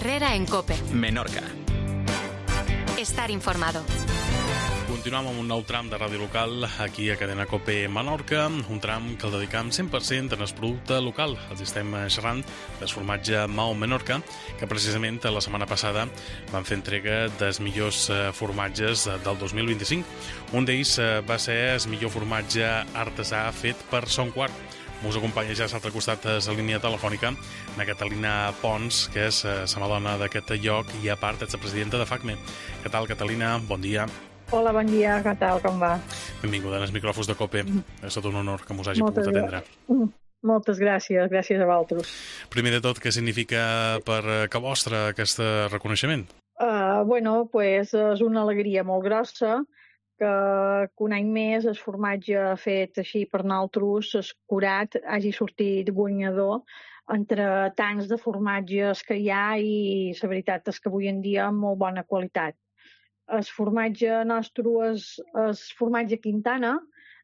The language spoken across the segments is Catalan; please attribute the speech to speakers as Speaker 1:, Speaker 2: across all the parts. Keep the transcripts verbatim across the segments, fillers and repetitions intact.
Speaker 1: Herrera en COPE.
Speaker 2: Menorca.
Speaker 1: Estar informado.
Speaker 3: Continuem amb un nou tram de ràdio local aquí a Cadena COPE Menorca, un tram que el dedicam cent per cent en el producte local. Els estem xerrant del formatge Mao Menorca, que precisament la setmana passada van fer entrega dels millors formatges del dos mil vint-i-cinc. Un d'ells va ser el millor formatge artesà fet per Son Quart. Us acompanya ja a l'altre costat de la línia telefònica la Catalina Pons, que és la madona d'aquest lloc i a part és la presidenta de FACME. Què tal, Catalina? Bon dia.
Speaker 4: Hola, bon dia, què tal, com va?
Speaker 3: Benvinguda als micròfons de COPE. És tot un honor que mos hagi
Speaker 4: Moltes
Speaker 3: pogut atendre.
Speaker 4: Moltes gràcies, gràcies a vosaltres.
Speaker 3: Primer de tot, què significa per que vostre aquest reconeixement?
Speaker 4: Uh, bueno, pues és una alegria molt grossa que, que un any més el formatge fet així per nosaltres, escurat, hagi sortit guanyador entre tants de formatges que hi ha i la veritat és que avui en dia amb molt bona qualitat. El formatge nostre és el formatge Quintana,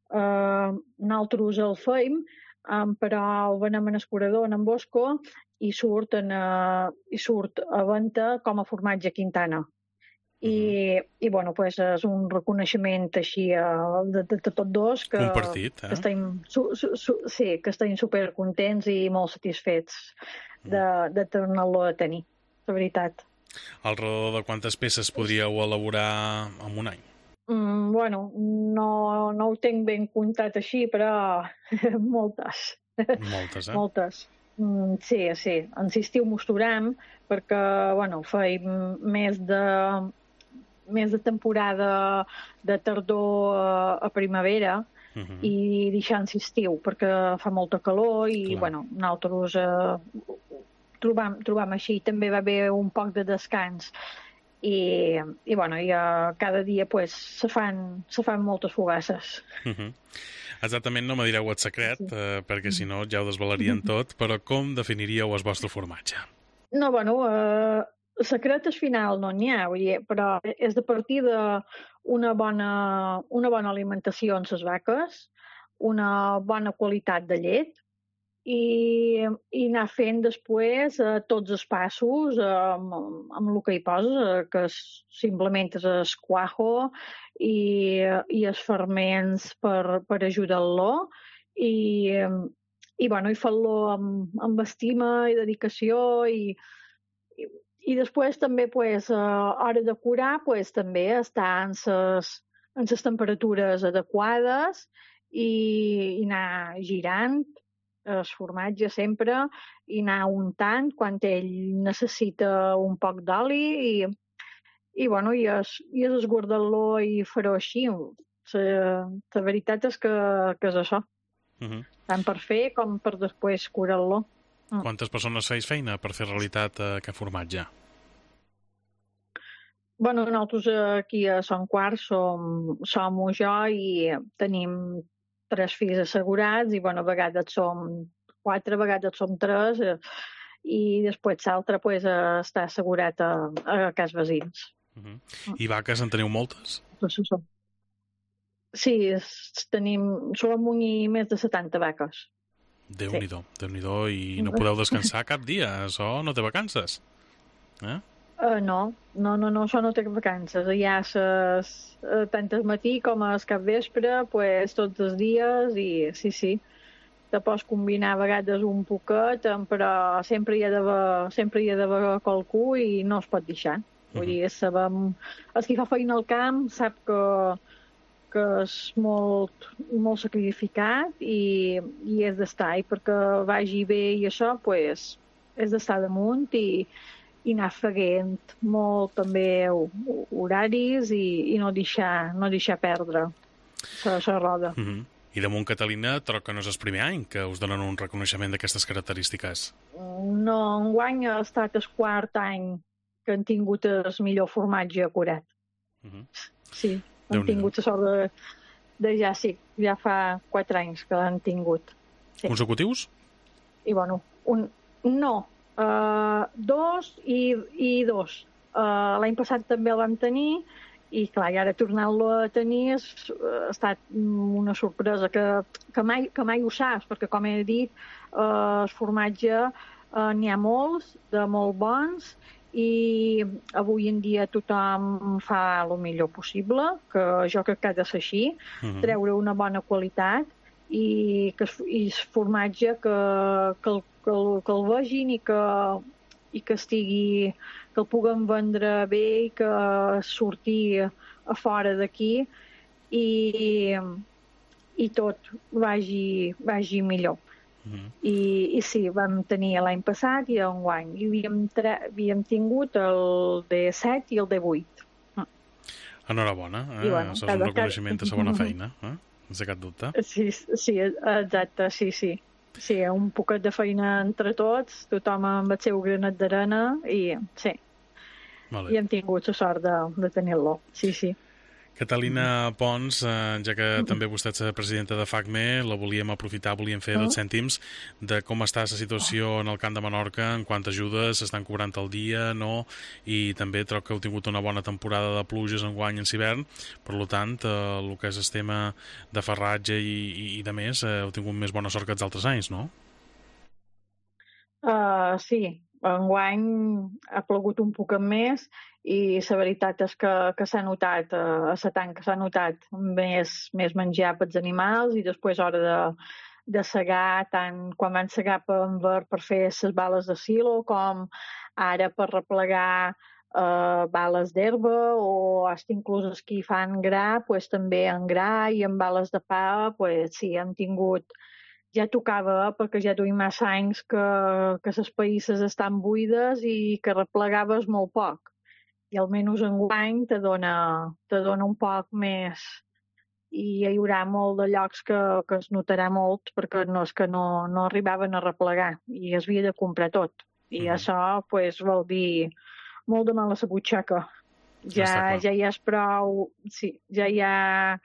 Speaker 4: eh, nosaltres el feim, eh, però el venem en escurador, en Bosco, i surt, en, eh, i surt a venda com a formatge Quintana. I, uh-huh. i bueno, pues és un reconeixement així uh, de, de, de tots dos que,
Speaker 3: compartit, eh?
Speaker 4: que estem, su, su, su, sí, que estem supercontents i molt satisfets de, de tornar-lo a tenir, la veritat.
Speaker 3: Al redor de quantes peces podríeu elaborar en un any?
Speaker 4: Mm, bueno, no, no ho tinc ben comptat així, però moltes.
Speaker 3: Moltes, eh?
Speaker 4: Moltes. Mm, sí, sí. En l'estiu mosturem perquè, bueno, feim més de més de temporada de tardor a, a primavera uh-huh. i deixant l'estiu perquè fa molta calor i, clar, bueno, nosaltres eh, trobam, trobam així. També va haver un poc de descans i, i bueno, i, uh, cada dia pues, se, fan, se fan moltes fogasses.
Speaker 3: Uh-huh. Exactament, no me direu el secret, sí. eh, perquè si no ja ho desvelarien tot, però com definiríeu el vostre formatge?
Speaker 4: No, bueno, eh, secret al final no n'hi ha, però és de partir d'una bona, una bona alimentació en les vaques, una bona qualitat de llet, i, i anar fent després eh, tots els passos eh, amb, amb el que hi posa, eh, que és, simplement és el cuajo i, i els ferments per, per ajudar-lo i, i, bueno, i fer-lo amb, amb estima i dedicació i, i, i després també pues, a hora de curar pues, també està en les, en les temperatures adequades i, i anar girant el formatge sempre i anar untant quan ell necessita un poc d'oli i, i, bueno, i, es, i és esguardar-lo i fer-ho així. La, la veritat és que, que és això. Uh-huh. Tant per fer com per després curar-lo.
Speaker 3: Uh. Quantes persones feis feina per fer realitat aquest formatge?
Speaker 4: Bueno, nosaltres aquí a Son Quart som, som jo i tenim tres fills assegurats i, bueno, a vegades som quatre, a vegades som tres eh, i després l'altre pues, eh, està assegurat a, a cas veïns.
Speaker 3: Uh-huh. I vaques en teniu moltes?
Speaker 4: Sí, tenim, som un i més de setanta vaques.
Speaker 3: Déu-n'hi-do, sí. Déu-n'hi-do, i no podeu descansar cap dia, això no té vacances, eh?
Speaker 4: Uh, no, no, no, no, això no té vacances. Hi ha ses, uh, tant al matí com al capvespre, pues, tots els dies, i sí, sí, te pots combinar a vegades un poquet, però sempre hi ha d'haver, sempre hi ha d'haver qualcú i no es pot deixar. Uh-huh. Vull dir, sabem, el que fa feina al camp sap que, que és molt, molt sacrificat i, i és d'estar, i perquè vagi bé i això, pues, és d'estar damunt i i anar feguent molt també horaris i, i no, deixar, no deixar perdre la roda.
Speaker 3: Uh-huh. I damunt, Catalina, troc que no és el primer any que us donen un reconeixement d'aquestes característiques.
Speaker 4: No, enguany ha estat el quart any que han tingut el millor formatge acurat. Uh-huh. Sí, han Déu tingut la sort de, de ja, sí, ja fa quatre anys que l'han tingut. Sí.
Speaker 3: Consecutius?
Speaker 4: I bueno, un, no, Uh, dos i, i dos. Uh, l'any passat també el vam tenir i clar, i ara tornar-lo a tenir és, ha estat una sorpresa que, que, mai, que mai ho saps, perquè com he dit, uh, el formatge uh, n'hi ha molts, de molt bons i avui en dia tothom fa el millor possible, que jo crec que ha de ser així, uh-huh. treure una bona qualitat i que i formatge que, que, el, que, el, que el vegin i que, i que estigui, que el puguem vendre bé i que surti a fora d'aquí i, i tot vagi, vagi millor. Uh-huh. I, I sí, vam tenir l'any passat i enguany. I havíem, tra- havíem tingut el D set i el D vuit. Uh.
Speaker 3: Enhorabona, eh?
Speaker 4: I, bueno,
Speaker 3: això és un reconeixement de la bona feina, eh? Sense cap dubte.
Speaker 4: Sí, sí, exacte, sí, sí. Sí, un poquet de feina entre tots, tothom amb el seu granet d'arena i sí, i hem tingut la sort de, de tenir-lo, sí, sí.
Speaker 3: Catalina Pons, eh, ja que també vostè és presidenta de FACME, la volíem aprofitar, volíem fer els cèntims de com està la situació en el Camp de Menorca, en quant ajudes s'estan cobrant al dia, no? I també trobo que heu tingut una bona temporada de pluges enguany en hivern, per tant, eh, el que és el tema de farratge i, i, i de més, eh, heu tingut més bona sort que els altres anys, no?
Speaker 4: Uh, sí, enguany ha plogut un poc més i la veritat és que, que s'ha notat, uh, a la tanca s'ha notat més, més menjar pels animals i després hora de, de segar, tant quan van segar per, per fer les bales de silo com ara per replegar uh, bales d'herba o fins inclús els que fan gra, pues, també en gra i en bales de pa, pues, sí, hem tingut. Ja tocava, perquè ja duim massa anys que, que les païsses estan buides i que replegaves molt poc. I almenys enguany te dona, te dona un poc més. I hi haurà molt de llocs que, que es notarà molt perquè no és que no, no arribaven a replegar i es havia de comprar tot. I mm. això pues, vol dir molt de mal a la butxaca. Ja, ja hi ha prou... Sí, ja hi ha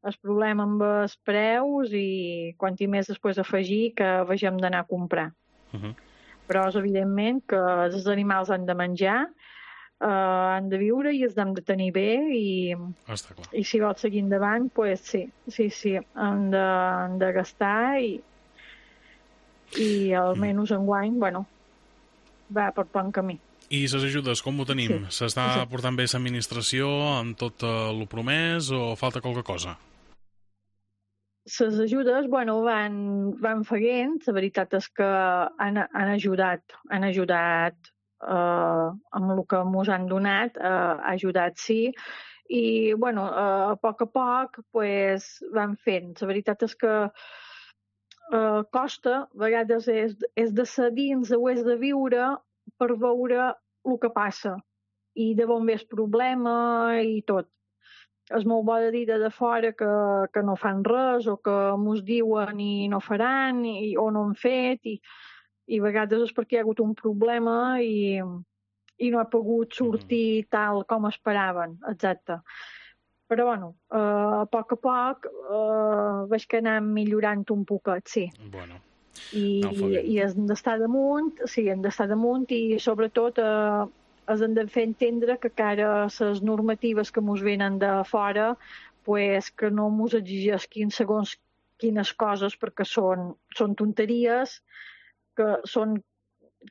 Speaker 4: el problema amb els preus i quant i més després afegir que vegem d'anar a comprar. Uh-huh. Però és evidentment que els animals han de menjar, eh, han de viure i els hem de tenir bé i, i si vols seguir endavant, pues sí, sí, sí, han de, han de gastar i, i almenys enguany, bueno, va per bon camí.
Speaker 3: I les ajudes, com ho tenim? Sí. S'està sí. portant bé l'administració amb tot el promès o falta qualque cosa?
Speaker 4: Les ajudes, bueno, van, van feient, la veritat és que han, han ajudat, han ajudat eh, amb el que ens han donat, eh, ha ajudat, sí, i, bueno, eh, a poc a poc, pues, van fent. La veritat és que eh, costa, a vegades és, és de ser dins o és de viure per veure el que passa i de on ve el problema i tot. És molt bo de dir de fora que, que no fan res o que mos diuen i no faran i, o no han fet i, i a vegades és perquè hi ha hagut un problema i, i no ha pogut sortir tal com esperaven, exacte. Però, bueno, eh, a poc a poc eh, veig que anem millorant un poquet, sí.
Speaker 3: Bueno.
Speaker 4: I, no, i hem d'estar damunt, sí, hem d'estar damunt i sobretot eh, els hem de fer entendre que cara les normatives que ens venen de fora pues, que no ens exigeixin segons quines coses perquè són, són tonteries, que són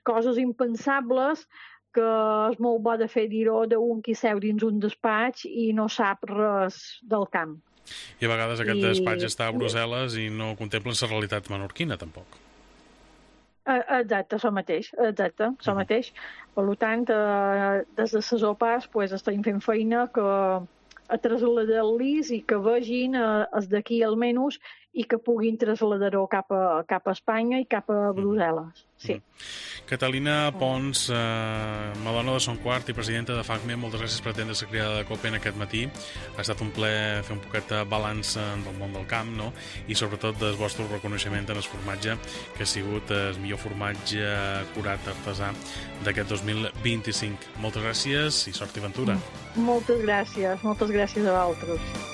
Speaker 4: coses impensables que és molt bo de fer dir-ho d'un qui seu dins un despatx i no sap res del camp.
Speaker 3: I a vegades aquest I... despatx està a Brussel·les i no contemplen la realitat menorquina, tampoc.
Speaker 4: Exacte, això mateix, exacte, això mateix. Per tant, eh, des de les O P As pues, estem fent feina que a traslladar-los i que vegin eh, els d'aquí almenys i que puguin traslladar-ho cap a, cap a Espanya i cap a Brussel·les. Sí.
Speaker 3: Mm. Catalina Pons, eh, Madona de Son Quart i presidenta de FACME, moltes gràcies per atendre la criada de COPE en aquest matí. Ha estat un plaer fer un poquet de balanç del món del camp, no? I sobretot del vostre reconeixement en el formatge, que ha sigut el millor formatge curat artesà d'aquest dos mil vint-i-cinc. Moltes gràcies i sort i ventura.
Speaker 4: Moltes gràcies, moltes gràcies a vosaltres.